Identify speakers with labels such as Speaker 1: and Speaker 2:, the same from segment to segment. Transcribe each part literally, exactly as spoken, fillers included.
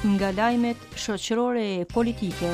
Speaker 1: Nga lajmet shoqërore e politike.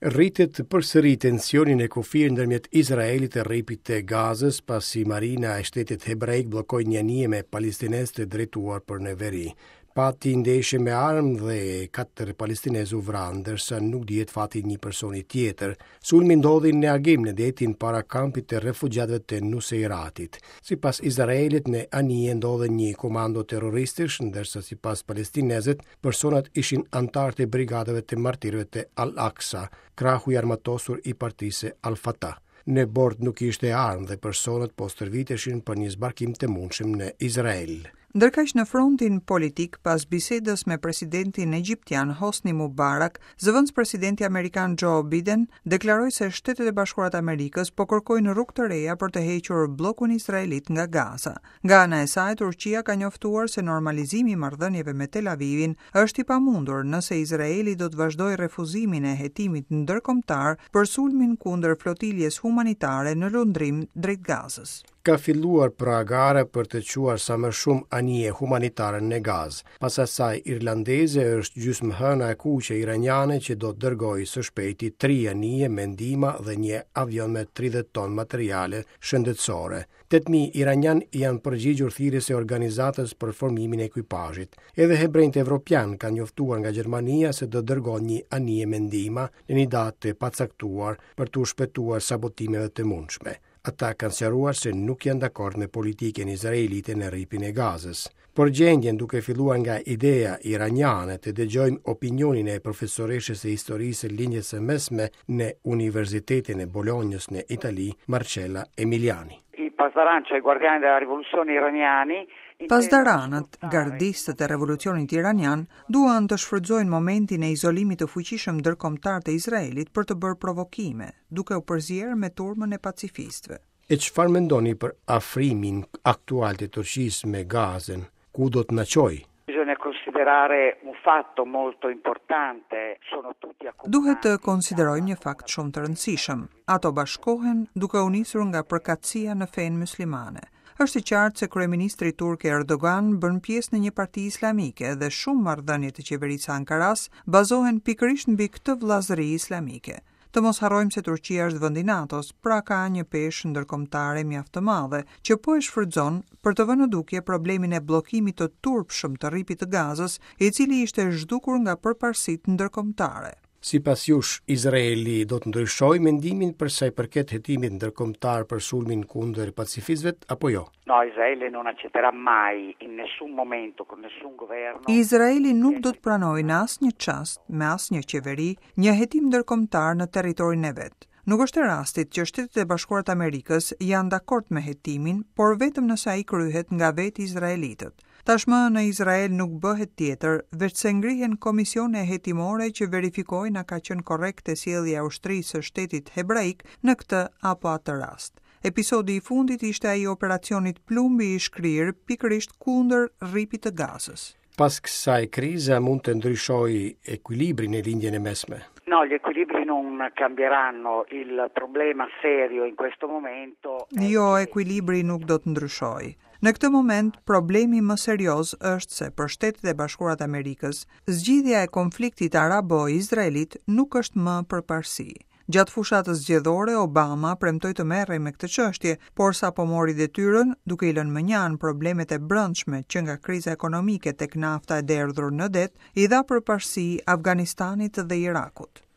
Speaker 2: Rritet përsëri tensioni në kufir ndërmjet Izraelit e Rripit të Gazës, pasi marina e shtetit hebraik bllokoi një anije me palestinezë të drejtuar për në veri. Pati ndeshje me armë dhe katër palestinezë u vranë, ndërsa nuk dihet fati i një personi tjetër. Sulmi ndodhi në agim në detin para kampit të refugjatëve të Nuseiratit. Sipas Izraelit, në anije ndodhen një komando terroristësh, ndërsa sipas palestinezët, personat ishin anëtarë të brigadave të martirëve të Al-Aqsa, krahu i armatosur i partisë Al-Fatah. Në bord nuk ishte armë dhe personat po stërviteshin për një zbarkim të mundshëm në Izrael.
Speaker 3: Ndërkaq në frontin politik, pas bisedës me presidentin egjiptian Hosni Mubarak, zëvendëspresidenti amerikan Joe Biden deklaroi se Shtetet e Bashkuara të Amerikës po kërkojnë rrugë të reja për të hequr bllokun izraelit nga Gaza. Nga ana e saj, Turqia ka njoftuar se normalizimi i marrëdhënieve me Tel Avivin është i pamundur nëse Izraeli do të vazhdojë refuzimin e hetimit ndërkombëtar për sulmin kundër flotiljes humanitare në lundrim drejt Gazës.
Speaker 2: Ka filluar pra gara për të çuar sa më shumë anije humanitare në Gazë. Pas asaj irlandeze është gjysmëhëna e kuqe iraniane që do të dërgojë së shpejti tri anije me ndihma dhe një avion me tridhjetë ton materiale shëndetësore. tetë mijë iranian janë përgjigjur thirrjes së organizatës për formimin e ekuipazhit. Edhe hebrejtë evropian kanë njoftuar nga Gjermania se do dërgojnë një anije me ndihma në një datë të pacaktuar për t'u shpëtuar sabotimeve të mundshme. Ata kanë sqaruar se nuk janë dakord me politikën izraelite në rripin e Gazës. Por gjendjen, duke filluar nga ideja iraniane, të dëgjojmë opinionin e profesoreshës së historisë së Lindjes së Mesme në Universitetin e Bolonjës në Itali, Marcella Emiliani.
Speaker 4: I Pasdaran, cioè i guardiani della rivoluzione iraniani,
Speaker 3: Pasdaranët, gardistët e revolucionit iranian, duan të shfrytëzojnë momentin e izolimit të fuqishëm ndërkombëtar të Izraelit për të bërë provokime, duke u përzier me turmën e pacifistëve.
Speaker 2: E çfarë mendoni për afrimin aktual të Turqisë me Gazën? Ku do të na çojë?
Speaker 4: Bisogna considerare un fatto molto importante, sono tutti accomunati.
Speaker 3: Duhet të konsiderojmë një fakt shumë të rëndësishëm. Ato bashkohen duke u nisur nga përkatësia në fenë muslimane. Është e qartë se kryeministri turk Erdogan bën pjesë në një parti islamike dhe shumë marrëdhënie të qeverisë së Ankaras bazohen pikërisht mbi këtë vëllazëri islamike. Të mos harrojmë se Turqia është vend i NATO-s, pra ka një peshë ndërkombëtare mjaft të madhe, që po e shfrytëzon për të vënë në dukje problemin e bllokimit të turpshëm të rripit të Gazës, i cili ishte zhdukur nga përparësitë ndërkombëtare.
Speaker 2: Sipas jush, Izraeli do të ndryshojë mendimin për sa i përket hetimit ndërkombëtar për sulmin kundër pacifistëve apo jo?
Speaker 4: No, Israele non accetterà mai in nessun momento con nessun governo.
Speaker 3: Izraeli nuk do të pranojë në asnjë çast me asnjë qeveri një hetim ndërkombëtar në territorin e vet. Nuk është e rastit që Shtetet e Bashkuara të Amerikës janë dakord me hetimin, por vetëm nëse ai kryhet nga vetë izraelitët. Tashmë në Izrael nuk bëhet tjetër, veç se ngrihen komisione hetimore që verifikojnë a ka qenë korrekte sjellja e ushtrisë së shtetit hebraik në këtë apo atë rast. Episodi i fundit ishte ai i operacionit Plumbi i shkrirë pikërisht kundër rripit të Gazës.
Speaker 2: Pas kësaj krize mund të ndryshojë ekuilibrin e Lindjen e Mesme.
Speaker 4: No, gli equilibri non cambieranno, il problema serio in questo momento è
Speaker 3: Jo, ekuilibri nuk do të ndryshojë. Në këtë moment, problemi më serioz është se për Shtetet e Bashkuara të Amerikës, zgjidhja e konfliktit arabo-izraelit nuk është më përparësi. Gjatë fushatës zgjedhore, Obama premtoi të merrej me këtë çështje, por sapo mori detyrën, duke i lënë mënjanë problemet e brendshme që nga kriza ekonomike tek nafta e derdhur në det, i dha përparësi Afganistanit dhe Irakut.